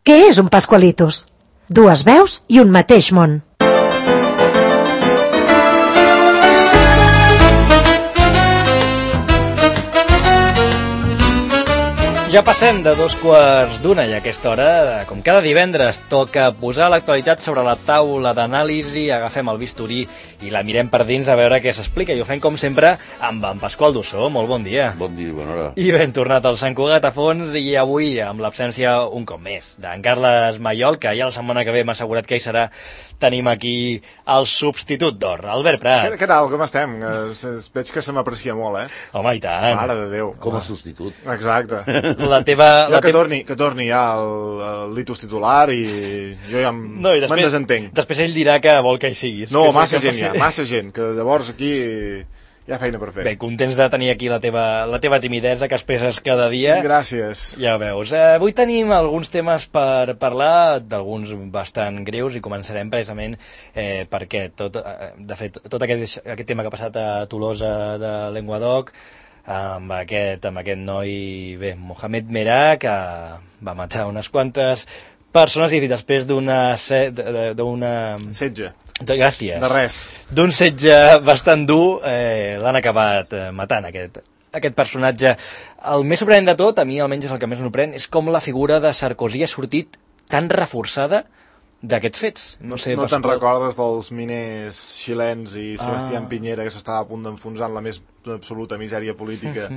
Què és un Pascualitos? Dues veus i un mateix món. Ja passem de 2:15 i a aquesta hora, com cada divendres, toca posar l'actualitat sobre la taula d'anàlisi, agafem el bisturí i la mirem per dins a veure què s'explica. I ho fem, com sempre, amb en Pasqual Dussó. Molt bon dia. Bon dia, bona hora. I ben tornat al Sant Cugat a fons, i avui, amb l'absència un cop més d'en Carles Maiol, que ja la setmana que ve m'ha assegurat que hi serà, tenim aquí el substitut d'or, Albert Prat. Què tal, com estem? Veig que se m'aprecia molt, eh? Home, i tant. Mare de Déu. Com a substitut. Exacte. Que torni ja el litus titular i jo ja me'n desentenc. Després ell dirà que vol que hi siguis. No, massa gent, que llavors aquí hi ha feina per fer. Bé, contents de tenir aquí la teva timidesa que expresses cada dia. Gràcies. Ja veus. Avui tenim alguns temes per parlar, d'alguns bastant greus, i començarem precisament perquè de fet, tot aquest tema que ha passat a Tolosa de Llenguadoc, amb aquest noi, bé, Mohamed Merah, que va matar unes quantes persones i després d'una setge. Gràcies. De res. D'un setge bastant dur, l'han acabat matant, aquest personatge. El més sorprenent de tot, a mi almenys és el que més sorprèn, és com la figura de Sarkozy ha sortit tan reforçada d'aquests fets. No te'n recordes dels miners xilens i Sebastián Piñera, que s'estava a punt d'enfonsar en la més absoluta misèria política?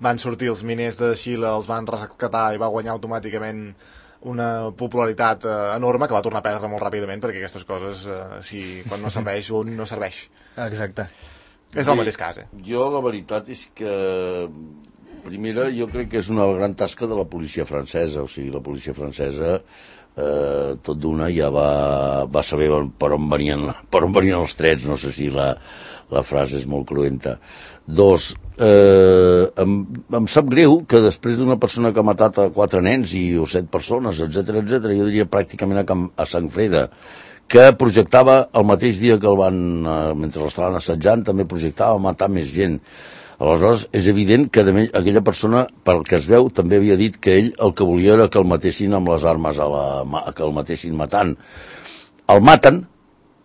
Van sortir els miners de Xile, els van rescatar i va guanyar automàticament una popularitat enorme, que va tornar a perdre molt ràpidament, perquè aquestes coses, quan no serveix, un no serveix. Exacte. És el mateix cas, Jo, la veritat és que, primera, jo crec que és una gran tasca de la policia francesa. O sigui, la policia francesa tot d'una ja va saber per on venien els trets. No sé si la frase és molt cruenta. Dos, em sap greu que després d'una persona que ha matat a 4 nens o 7 persones, etc, jo diria pràcticament a sang freda, que projectava el mateix dia que el van, mentre l'estaven assetjant, també projectava matar més gent. Aleshores, és evident que aquella persona, pel que es veu, també havia dit que ell el que volia era que el matessin amb les armes, que el matessin matant. El maten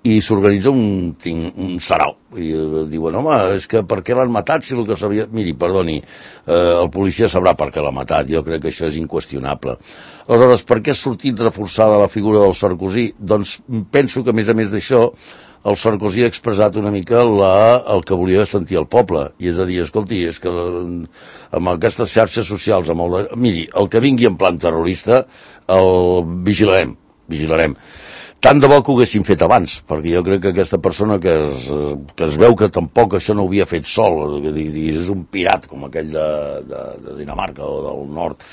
i s'organitza un sarau. I diuen, home, és que per què l'han matat si el que sabia... Miri, perdoni, el policia sabrà per què l'ha matat. Jo crec que això és inqüestionable. Aleshores, per què ha sortit reforçada la figura del Sarkozy? Doncs penso que, a més d'això, el Sarkozy ha expressat una mica el que volia sentir el poble, i és a dir, escolti, és que amb aquestes xarxes socials, miri, el que vingui en plan terrorista el vigilarem. Tant de bo que ho haguessin fet abans, perquè jo crec que aquesta persona que es veu que tampoc això no ho havia fet sol, és un pirat com aquell de Dinamarca o del nord,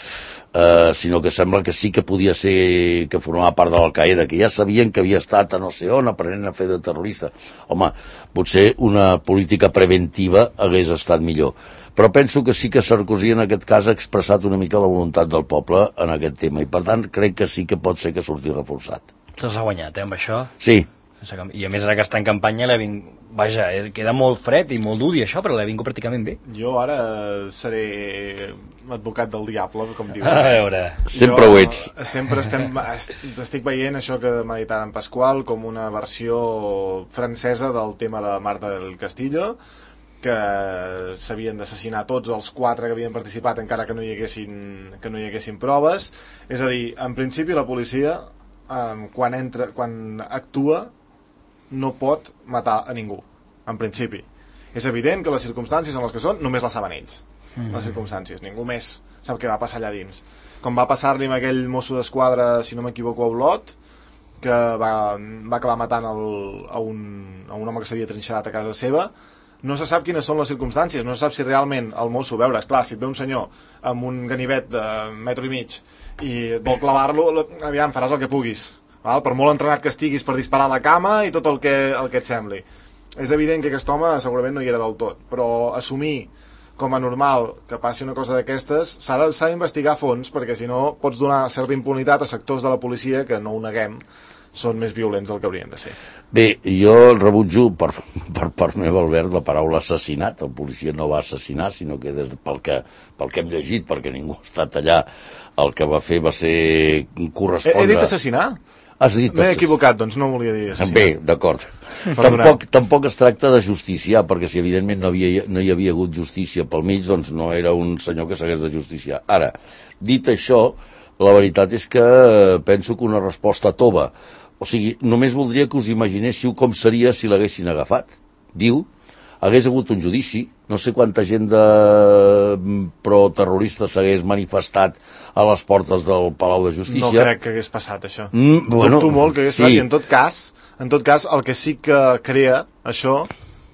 sinó que sembla que sí que podia ser, que formava part de l'Al-Qaeda, que ja sabien que havia estat a no sé on aprenent a fer de terrorista. Home, potser una política preventiva hagués estat millor. Però penso que sí que Sarkozy en aquest cas ha expressat una mica la voluntat del poble en aquest tema, i per tant crec que sí que pot ser que surti reforçat. Se'ls ha guanyat, amb això? Sí. I a més ara que està en campanya vaja, queda molt fred i molt dur dir això, però l'ha vingut pràcticament bé. Jo ara seré advocat del diable, com diu. A veure. Sempre ho ets. Sempre estic veient això que m'ha dit en Pasqual com una versió francesa del tema de Marta del Castillo, que s'havien d'assassinar tots els 4 que havien participat encara que no hi haguessin proves. És a dir, en principi la policia quan actua no pot matar a ningú, en principi. És evident que les circumstàncies en les que són només les saben ells, les circumstàncies, ningú més sap què va passar allà dins, com va passar-li amb aquell mosso d'esquadra, si no m'equivoco, a Olot, que va acabar matant a un home que s'havia trinxat a casa seva. No se sap quines són les circumstàncies, no se sap si realment el mosso, veure, esclar, si et ve un senyor amb un ganivet de 1,5 metres i vol clavar-lo, aviam, faràs el que puguis, val? Per molt entrenat que estiguis per disparar a la cama i tot el que et sembli. És evident que aquest home segurament no hi era del tot, però assumir com a normal que passi una cosa d'aquestes s'ha d'investigar a fons, perquè si no pots donar certa impunitat a sectors de la policia que, no ho neguem, són més violents del que haurien de ser. Bé, jo rebutjo per part meva, Albert, la paraula assassinat. El policia no va assassinar, sinó que pel que hem llegit, perquè ningú ha estat allà, el que va fer va ser correspondre... He dit assassinar? M'he equivocat, doncs no volia dir assassinar. Bé, d'acord. Tampoc es tracta de justiciar, perquè si evidentment no hi havia hagut justícia pel mig, doncs no era un senyor que s'hagués de justiciar. Ara, dit això, la veritat és que penso que una resposta tova. O sigui, només voldria que us imaginéssiu com seria si l'haguessin agafat. Diu, hagués hagut un judici, no sé quanta gent de pro-terroristes s'hagués manifestat a les portes del Palau de Justícia. No crec que hagués passat, això. Dubto molt que hagués passat, i en tot cas, el que sí que crea això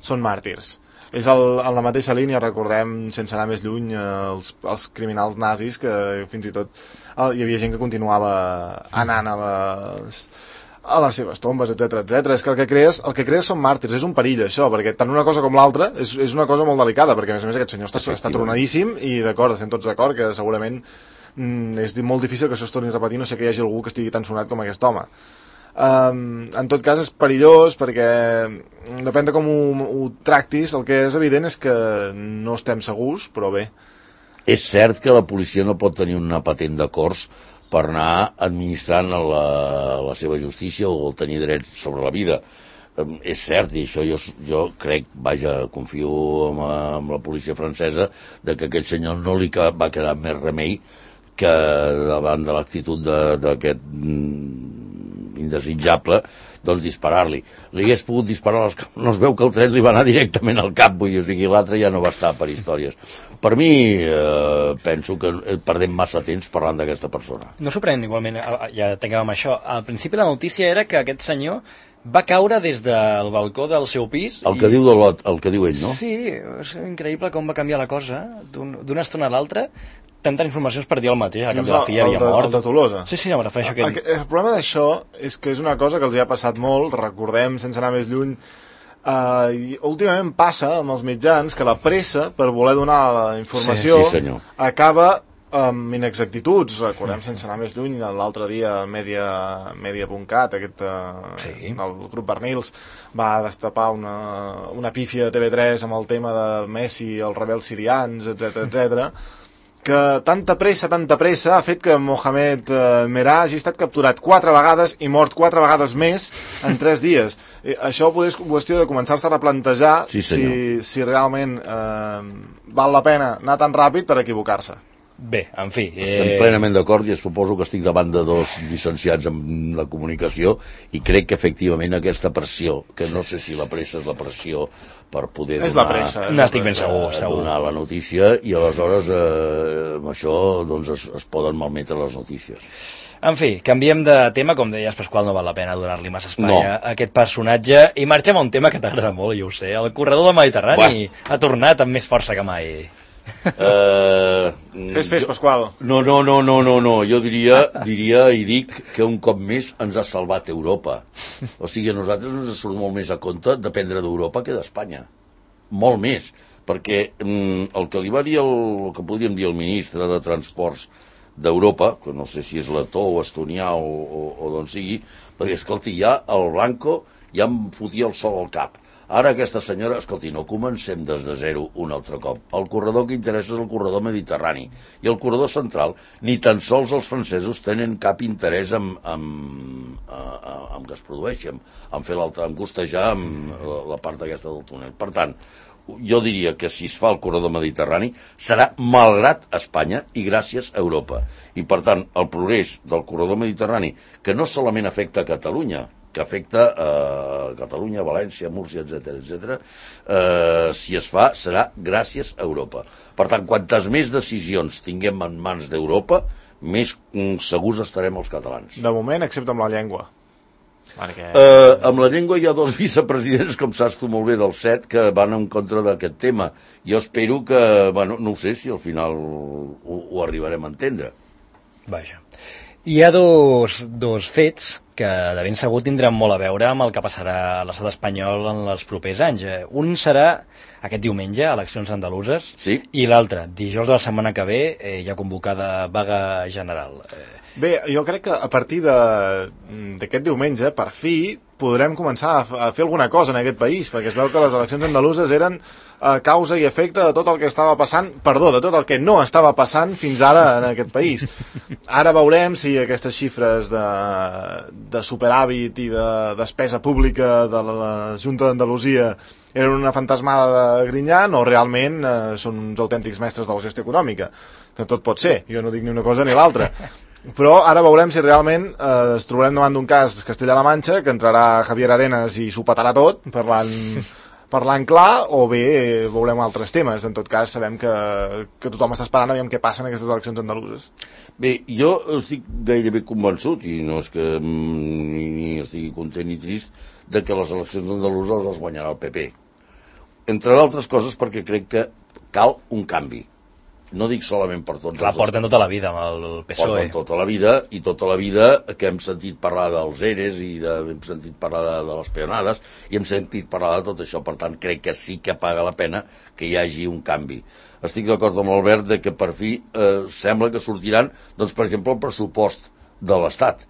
són màrtirs. És en la mateixa línia, recordem, sense anar més lluny, els criminals nazis, que fins i tot hi havia gent que continuava anant a les seves tombes, etc. És que el que crees són màrtirs, és un perill això, perquè tant una cosa com l'altra és una cosa molt delicada, perquè a més aquest senyor està tronadíssim i d'acord, estem tots d'acord que segurament és molt difícil que això es torni a repetir, no sé que hi hagi algú que estigui tan sonat com aquest home. En tot cas és perillós perquè depèn de com ho tractis. El que és evident és que no estem segurs, però bé. És cert que la policia no pot tenir una patent de cors per anar administrant la seva justícia o tenir drets sobre la vida. És cert, i això jo crec, confio en la policia francesa, de que aquell senyor no li va quedar més remei que davant de l'actitud d'aquest indesitjable, doncs disparar-li. Li hagués pogut disparar als caps. No es veu que el tret li va anar directament al cap, vull dir, o sigui, l'altre ja no va estar per històries. Per mi, penso que perdem massa temps parlant d'aquesta persona. No sorprèn, igualment, ja tanquem això. Al principi la notícia era que aquest senyor va caure des del balcó del seu pis. El que diu ell, no? Sí, és increïble com va canviar la cosa d'una estona a l'altra. Tantes informacions per dir el mateix, a cap de la filla havia mort. El de Tolosa. Sí, em refereixo a aquest. El problema d'això és que és una cosa que els hi ha passat molt, recordem, sense anar més lluny, i últimament passa amb els mitjans que la pressa per voler donar la informació acaba amb inexactituds. Recordem, sense anar més lluny, l'altre dia Media.cat, el grup Bernils, va destapar una pífia de TV3 amb el tema de Messi, els rebels sirians, etc. Que tanta pressa ha fet que Mohamed Merah hagi estat capturat 4 vegades i mort 4 vegades més en 3 dies. Això és qüestió de començar-se a replantejar si realment val la pena anar tan ràpid per equivocar-se. Bé, en fi... Estem plenament d'acord i suposo que estic davant de 2 llicenciats en la comunicació i crec que efectivament aquesta pressió, que no sé si la pressa és la pressió per poder donar la notícia i aleshores amb això doncs es poden malmetre les notícies. En fi, canviem de tema, com deies, Pasqual, no val la pena donar-li massa espai a aquest personatge i marxem a un tema que t'agrada molt, jo ho sé, el corredor del Mediterrani ha tornat amb més força que mai. Fes, Pasqual. No, jo diria i dic que un cop més ens ha salvat Europa. O sigui, a nosaltres ens surt molt més a compte dependre d'Europa que d'Espanya. Molt més, perquè el que li va dir el que podríem dir el ministre de Transports d'Europa, que no sé si és letó o estonià o d'on sigui, va dir, escolti, ja el Blanco ja em fotia el sol al cap. Ara aquesta senyora, escolti, no comencem des de zero un altre cop. El corredor que interessa és el corredor mediterrani. I el corredor central, ni tan sols els francesos tenen cap interès en que es produeixi, en fer l'altre, en costejar la part aquesta del túnel. Per tant, jo diria que si es fa el corredor mediterrani serà malgrat Espanya i gràcies a Europa. I per tant, el progrés del corredor mediterrani, que no solament afecta a Catalunya, que afecta a Catalunya, València, Múrcia, etc. Si es fa, serà gràcies a Europa. Per tant, quantes més decisions tinguem en mans d'Europa, més segurs estarem els catalans. De moment, excepte amb la llengua. Amb la llengua hi ha 2 vicepresidents, com saps tu molt bé, del 7, que van en contra d'aquest tema. Jo espero que, no ho sé si al final ho arribarem a entendre. Vaja. Hi ha dos fets que de ben segur tindran molt a veure amb el que passarà a l'estat espanyol en els propers anys. Un serà aquest diumenge, eleccions andaluses, sí? I l'altre, dijous de la setmana que ve, hi ha convocada vaga general. Bé, jo crec que a partir d'aquest diumenge, per fi, podrem començar a fer alguna cosa en aquest país, perquè es veu que les eleccions andaluses eren causa i efecte de tot el que estava passant, de tot el que no estava passant fins ara en aquest país. Ara veurem si aquestes xifres de superàvit i de despesa pública de la Junta d'Andalusia eren una fantasmada de Grinyán o realment són uns autèntics mestres de la gestió econòmica, que tot pot ser, jo no dic ni una cosa ni l'altra. Però ara veurem si realment es trobarem davant d'un cas Castella-La Manxa, que entrarà Javier Arenas i s'ho petarà tot, parlant clar, o bé veurem altres temes. En tot cas, sabem que tothom està esperant aviam què passa en aquestes eleccions andaluses. Bé, jo estic gairebé convençut, i no és que ni estigui content ni trist, de que les eleccions andaluses les guanyarà el PP. Entre d'altres coses perquè crec que cal un canvi. No dic solament per tots. La porten tota la vida amb el PSOE. Porten tota la vida, i tota la vida que hem sentit parlar dels ERES i hem sentit parlar de les peonades i hem sentit parlar de tot això. Per tant, crec que sí que paga la pena que hi hagi un canvi. Estic d'acord amb l'Albert de que per fi sembla que sortiran, doncs, per exemple, el pressupost de l'Estat,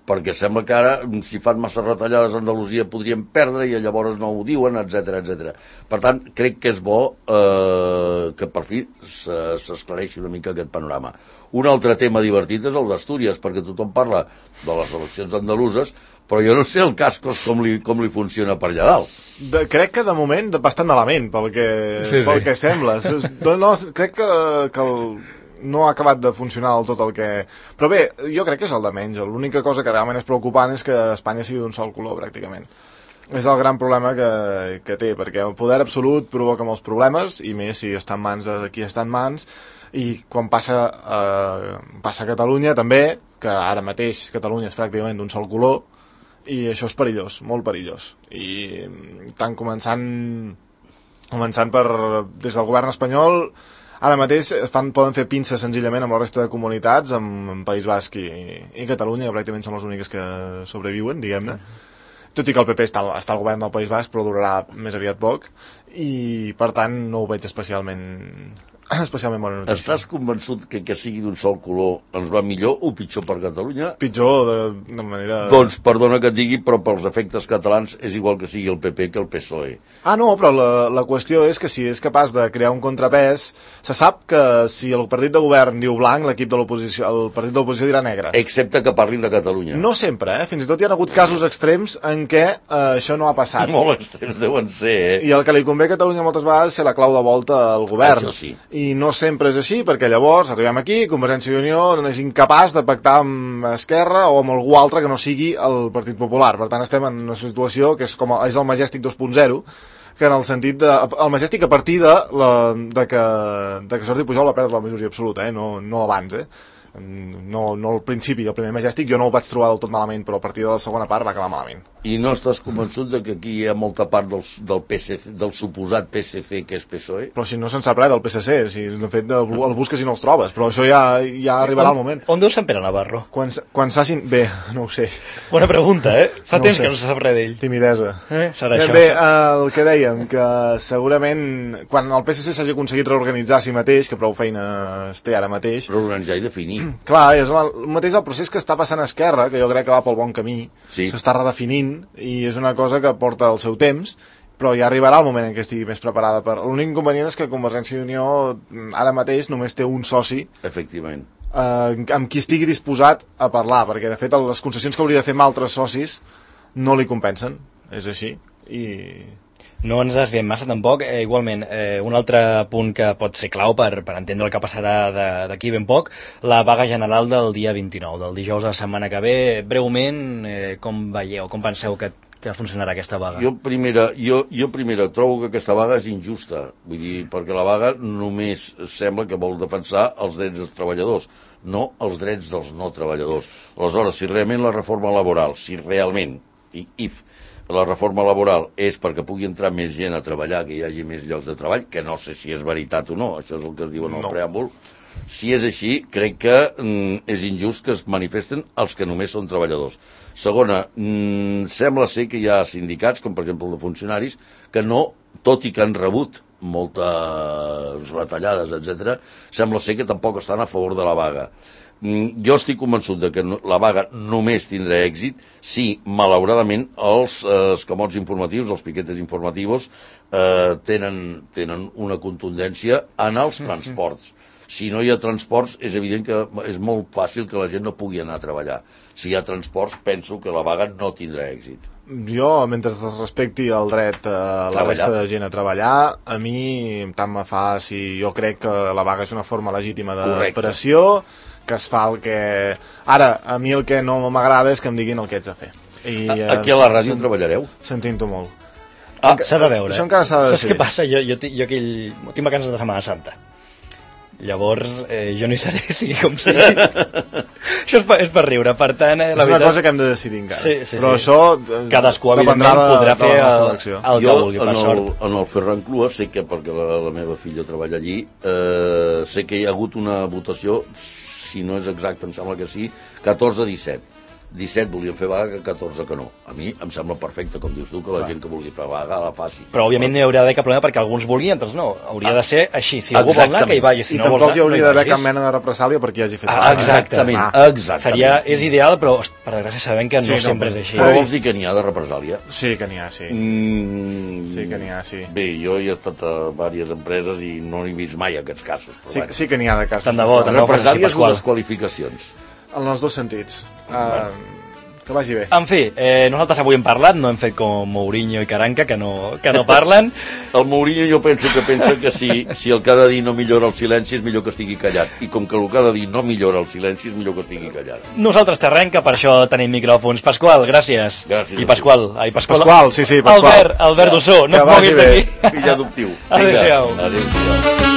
perquè sembla que ara, si fan massa retallades a Andalusia, podrien perdre i llavors no ho diuen, etc. Per tant, crec que és bo que per fi s'esclareixi una mica aquest panorama. Un altre tema divertit és el d'Astúries, perquè tothom parla de les eleccions andaluses, però jo no sé el Cascos com li funciona per allà dalt. Crec que de moment bastant malament, pel que sembla. No, crec que no ha acabat de funcionar del tot el que... Però bé, jo crec que és el de menys. L'única cosa que realment és preocupant és que Espanya sigui d'un sol color, pràcticament. És el gran problema que té, perquè el poder absolut provoca molts problemes, i més si està en mans de qui està en mans, i quan passa a Catalunya també, que ara mateix Catalunya és pràcticament d'un sol color, i això és perillós, molt perillós. I tant començant per des del govern espanyol, ara mateix poden fer pinces senzillament amb la resta de comunitats, amb País Basc i Catalunya, que pràcticament són les úniques que sobreviuen, diguem-ne. Tot i que el PP està al govern del País Basc, però durarà més aviat poc, i per tant no ho veig especialment bona notícia. Estàs convençut que sigui d'un sol color ens va millor o pitjor per Catalunya? Pitjor, de manera... Doncs perdona que et digui, però pels efectes catalans és igual que sigui el PP que el PSOE. No, però la qüestió és que si és capaç de crear un contrapès, se sap que si el partit de govern diu blanc, el partit de l'oposició dirà negre. Excepte que parlin de Catalunya. No sempre, Fins i tot hi ha hagut casos extrems en què això no ha passat. Molt extrems deuen ser, I el que li convé a Catalunya moltes vegades és ser la clau de volta al govern. Això sí. I no sempre és així, perquè llavors arribem aquí, Convergència i Unió no és incapaç de pactar amb Esquerra o amb algú altre que no sigui el Partit Popular. Per tant, estem en una situació que és el Majestic 2.0, que en el sentit el Majestic a partir de que Jordi Pujol va perdre la majoria absoluta, no abans, No al principi del primer Majestic jo no ho vaig trobar del tot malament, però a partir de la segona part va acabar malament. I no estàs convençut de que aquí hi ha molta part del PSC, del suposat PSC que és PSOE? Però si no se'n sap res del PSC, si de fet el busques i no els trobes, però això ja arribarà el moment. On deu Sant Pere Navarro? Quan s'hagin... Bé, no ho sé. Bona pregunta, Fa temps que no se sap res d'ell. Timidesa. Serà això. Bé, el que dèiem, que segurament quan el PSC s'hagi aconseguit reorganitzar a si mateix, que prou feina es té ara mateix... Reorganitzar i definir. Clar, és el mateix el procés que està passant a Esquerra, que jo crec que va pel bon camí, sí. S'està redefinint, i és una cosa que porta el seu temps, però ja arribarà el moment en què estigui més preparada per... L'únic inconvenient és que Convergència i Unió ara mateix només té un soci, efectivament, amb qui estigui disposat a parlar, perquè de fet les concessions que hauria de fer amb altres socis no li compensen, és així, i... No ens desviem massa tampoc. Igualment, un altre punt que pot ser clau per entendre el que passarà d'aquí ben poc, la vaga general del dia 29, del dijous de la setmana que ve. Breument, com veieu, com penseu que funcionarà aquesta vaga? Jo primera trobo que aquesta vaga és injusta, vull dir, perquè la vaga només sembla que vol defensar els drets dels treballadors, no els drets dels no treballadors. Aleshores, si realment la reforma laboral, la reforma laboral és perquè pugui entrar més gent a treballar, que hi hagi més llocs de treball, que no sé si és veritat o no, això és el que es diu en el preàmbul. Si és així, crec que és injust que es manifesten els que només són treballadors. Segona, sembla ser que hi ha sindicats, com per exemple el de funcionaris, que no, tot i que han rebut moltes retallades, etc., sembla ser que tampoc estan a favor de la vaga. Jo estic convençut de que la vaga només tindrà èxit si, malauradament, els escamots informatius, els piquetes informatius, tenen una contundència en els transports. Si no hi ha transports, és evident que és molt fàcil que la gent no pugui anar a treballar. Si hi ha transports, penso que la vaga no tindrà èxit. Jo, mentre es respecti el dret a la resta de gent a treballar, a mi tant me fa si jo crec que la vaga és una forma legítima de pressió, que es fa el que... Ara, a mi el que no m'agrada és que em diguin el que ets de fer. Aquí a la ràdio treballareu? Sentint-ho molt. S'ha de veure. Això encara s'ha de decidir. Saps què passa? Jo tinc vacances de Setmana Santa. Llavors, jo no hi seré, sigui com sigui. Això és per riure, per tant... És una cosa que hem de decidir encara. Sí. Però això cadascú, evidentment, podrà fer el que vulgui, per sort. En el Ferran Clua sé que, perquè la meva filla treballa allí, sé que hi ha hagut una votació, si no és exacte, em sembla que sí, 14-17. 17 volien fer vaga, 14 que no. A mi em sembla perfecte, com dius tu, que la gent que vulgui fer vaga la faci. Però, òbviament, no hi hauria d'haver cap problema perquè alguns volien, altres no. Hauria de ser així. Si algú vol anar, que hi vagi. Si I no tampoc hi hauria d'haver cap mena de represàlia perquè hi hagi fet vaga. Exactament. És ideal, però, per desgràcia, sabem que no sempre és així. Però vols dir que n'hi ha de represàlia? Sí, que n'hi ha, sí. Sí que n'hi ha, sí. Bé, jo he estat a diverses empreses i no he vist mai aquests casos. Sí que n'hi ha de casos. Tant de bo, represàlies o desqualificacions? En els dos sentits. Que vagi bé. En fi, nosaltres avui hem parlat, no hem fet com Mourinho i Caranca, que no parlen. El Mourinho jo penso que pensa que si el que ha de dir no millora el silenci és millor que estigui callat. I com que el que ha de dir no millora el silenci és millor que estigui callat. Nosaltres t'arrenca, per això tenim micròfons. Pasqual, gràcies. Gràcies. I Pasqual. Pasqual, sí, Pasqual. Albert Dossó, no et moguis d'aquí. Fill adoptiu. Adéu-siau. Adéu-siau.